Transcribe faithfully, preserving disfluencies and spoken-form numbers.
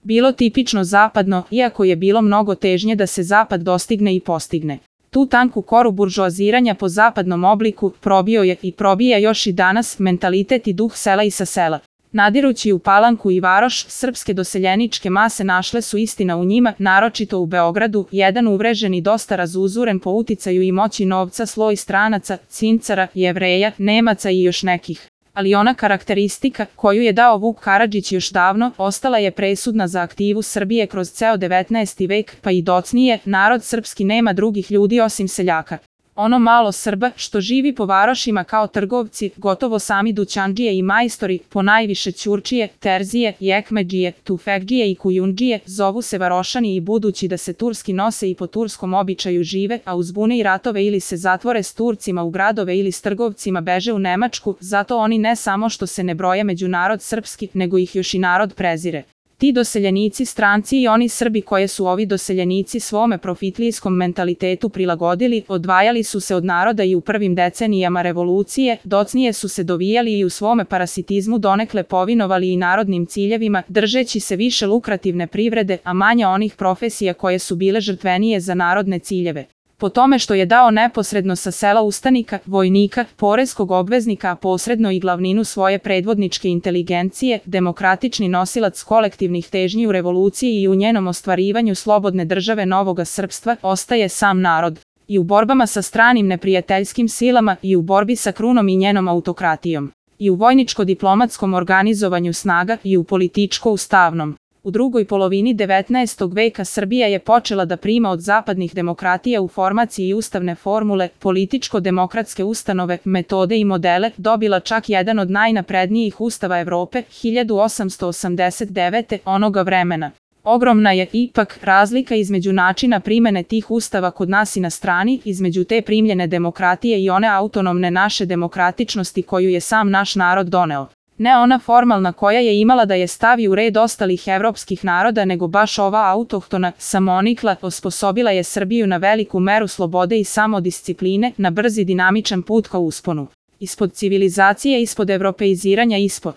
bilo tipično zapadno, iako je bilo mnogo težnje da se zapad dostigne i postigne. Tu tanku koru buržoaziranja po zapadnom obliku probio je i probija još i danas mentalitet i duh sela i sa sela. Nadirući u Palanku i Varoš, srpske doseljeničke mase našle su istina u njima, naročito u Beogradu, jedan uvrežen i dosta razuzuren po uticaju i moći novca sloj stranaca, cincara, Jevreja, Nemaca i još nekih. Ali ona karakteristika, koju je dao Vuk Karadžić još davno, ostala je presudna za aktivu Srbije kroz ceo devetnaesti vek, pa i docnije, narod srpski nema drugih ljudi osim seljaka. Ono malo Srba, što živi po varošima kao trgovci, gotovo sami dućandžije i majstori, ponajviše ćurčije, terzije, jekmedžije, tufekdžije i kujundžije, zovu se varošani i budući da se turski nose i po turskom običaju žive, a uz bune i ratove ili se zatvore s Turcima u gradove ili s trgovcima beže u Nemačku, zato oni ne samo što se ne broje među narod srpski, nego ih još i narod prezire. Ti doseljenici stranci i oni Srbi koje su ovi doseljenici svome profitlijskom mentalitetu prilagodili, odvajali su se od naroda i u prvim decenijama revolucije, docnije su se dovijali i u svome parasitizmu donekle povinovali i narodnim ciljevima, držeći se više lukrativne privrede, a manje onih profesija koje su bile žrtvenije za narodne ciljeve. Po tome što je dao neposredno sa sela ustanika, vojnika, poreskog obveznika, a posredno i glavninu svoje predvodničke inteligencije, demokratični nosilac kolektivnih težnji u revoluciji i u njenom ostvarivanju slobodne države novoga srpstva, ostaje sam narod. I u borbama sa stranim neprijateljskim silama, i u borbi sa krunom i njenom autokratijom. I u vojničko-diplomatskom organizovanju snaga, i u političko-ustavnom. U drugoj polovini devetnaestog veka Srbija je počela da prima od zapadnih demokratija u formaciji ustavne formule, političko-demokratske ustanove, metode i modele, dobila čak jedan od najnaprednijih ustava Evrope, hiljadu osamsto osamdeset devete. onoga vremena. Ogromna je, ipak, razlika između načina primene tih ustava kod nas i na strani, između te primljene demokratije i one autonomne naše demokratičnosti koju je sam naš narod doneo. Ne ona formalna koja je imala da je stavi u red ostalih evropskih naroda, nego baš ova autohtona, samonikla, osposobila je Srbiju na veliku meru slobode i samodiscipline, na brzi dinamičan put ka usponu. Ispod civilizacije, ispod evropeiziranja, ispod